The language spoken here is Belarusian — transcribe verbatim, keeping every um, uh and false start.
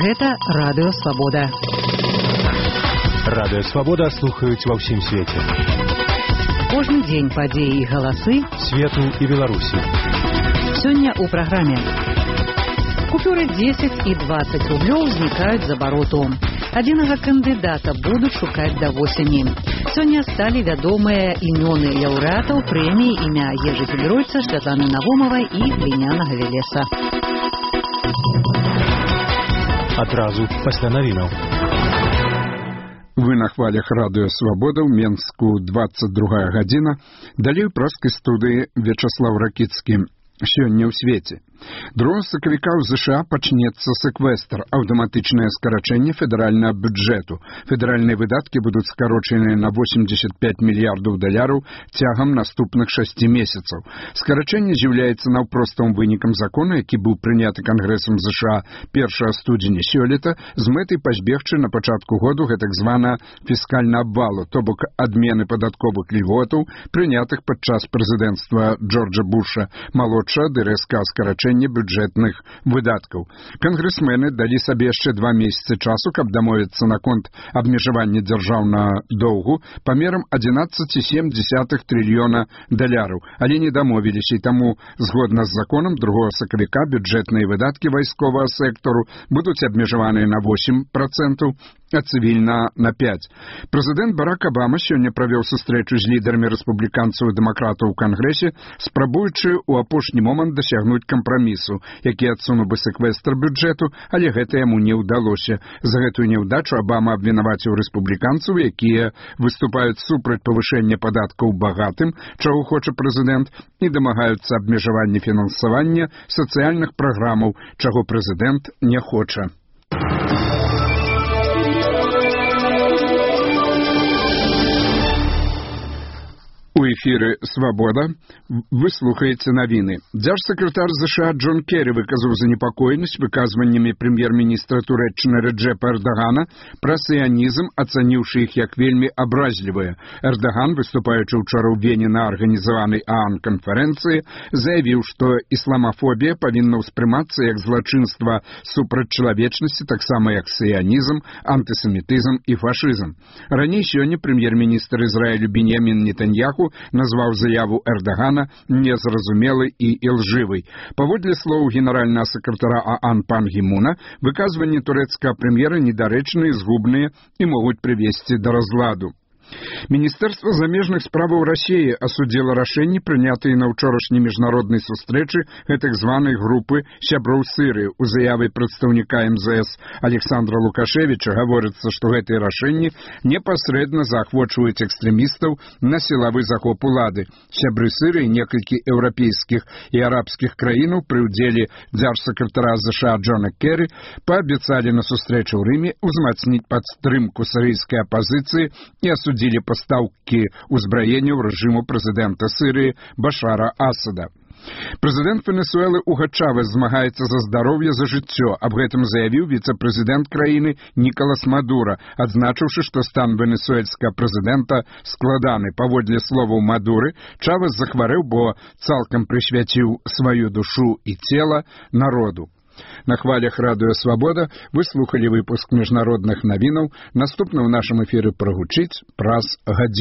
Гэта Радыё Свабода. Радыё Свабода слухаюць ва ўсім свеце. Кожны дзень падзеі і галасы свету і Беларусі. Сёння ў праграме. Купюры дзесяць і дваццаць рублёў знікаюць з абароту. Адзінага кандыдата будуць шукаць да восені. Сёння сталі вядомыя імёны лаўрэатаў прэміі імя Ежы Федоройца, Святланы Навомавай і глінянага Велеса. Адразу пасля навінаў. Вы на хвалях Радыё Свабода, ў Менску двадцать другая гадзіна. Далей у праскай студыі Вячаслав Ракіцкі. Сёння ў свеце. другога сакавіка ў ЗША пачнецца сэквестр, аўтаматычнае скарачэнне федэральнага бюджэту. Федэральныя выдаткі будуць скарочаныя на восемьдесят пять мільярдаў даляраў цягам наступных шасці месяцаў. Скарачэнне з'яўляецца наўпростым вынікам закона, які быў прыняты Кангрэсам ЗША першага студзеня сёлета з мэтай пазбегчы на пачатку году гэтак звана фіскальна абвалу, то бок адмены падатковых льготаў, прынятых падчас прэзідэнцтва Джорджа Буша малодшага ды рэзкага скарачэння бюджэтных выдаткаў. Кангрэсмены далі сабе яшчэ два месяцы часу, каб дамовіцца наконт абмежавання дзяржаўнага доўгу памерам адзінаццаць цэлых сем дзесятых трыльёна даляраў, але не дамовіліся, і таму, згодна з законам, другога сакавіка бюджэтныя выдаткі вайсковага сектару будуць абмежаваныя на восемь процентаў, а цывільна на пять. Прэзідэнт Барак Абама сёння правёў сустрэчу з лідарамі рэспубліканцаў і дэмакратаў у Кангрэсе, спрабуючы ў апошні момант дасягнуць кампрамісу, які адсунуў бы сэквестр бюджэту, але гэта яму не ўдалося. За гэтую няўдачу Абама абвінаваціў рэспубліканцаў, якія выступаюць супраць павышэння падаткаў багатым, чаго хоча прэзідэнт, і дамагаюцца абмежавання фінансавання сацыяльных праграмаў, чаго прэзідэнт не хоча. У эфіры «Свабода» вы слухаеце навіны. Дзяржсакратар ЗША Джон Керрі выказаў занепакоенасць выказваннямі прэм'ер-міністра Турэччыны Реджепа Эрдагана пра сіянізм, ацаніўшы іх як вельмі абразлівыя. Эрдаган, выступаючы ўчора ў Вене на арганізаванай ААН-канферэнцыі, заявіў, што ісламафобія павінна ўспрымацца як злачынства супраць чалавечнасці, таксама як сіянізм, антысемітызм і фашызм. Раней сёння прэм'ер-міністр Ізраілю Беньямін Нетаньяху назваў заяву Эрдагана незразумелай і ілжывай. Паводле слоў генеральнага сакратара ААН Пан Гі Муна, выказванні турэцкага прэм'ера недарэчныя, згубныя і могуць прывесці да разладу. Міністэрства замежных справаў Расіі асудзіла рашэнні, прынятыя на ўчорашняй міжнароднай сустрэчы гэтак званай групы сяброў Сырыі. У заяве прадстаўніка эм зэ эс Александра Лукашевіча гаворыцца, што гэтыя рашэнні непасрэдна заахвочваюць экстрэмістаў на сілавы захоп улады. Сябры Сырыі, некалькі еўрапейскіх і арабскіх краінаў пры ўдзеле дзяржсакратара ЗША Джона Керрі паабяцалі на сустрэчы ў Рыме ўзмацніць падтрымку сірыйскай апазіцыі і асудзілі пастаўкі ўзбраенняў рэжыму прэзідэнта Сырыі Башара Асада. Прэзідэнт Венесуэлы Уго Чавес змагаецца за здароўе, за жыццё. Аб гэтым заявіў віцэ-прэзідэнт краіны Нікалас Мадура, адзначыўшы, што стан венесуэльскага прэзідэнта складаны. Паводле словаў Мадуры, Чавес захварэў, бо цалкам прысвяціў сваю душу і цела народу. На хвалях Радыё Свабода вы слухалі выпуск міжнародных навінаў. Наступны ў нашым эфіры прагучыць праз гадзіну.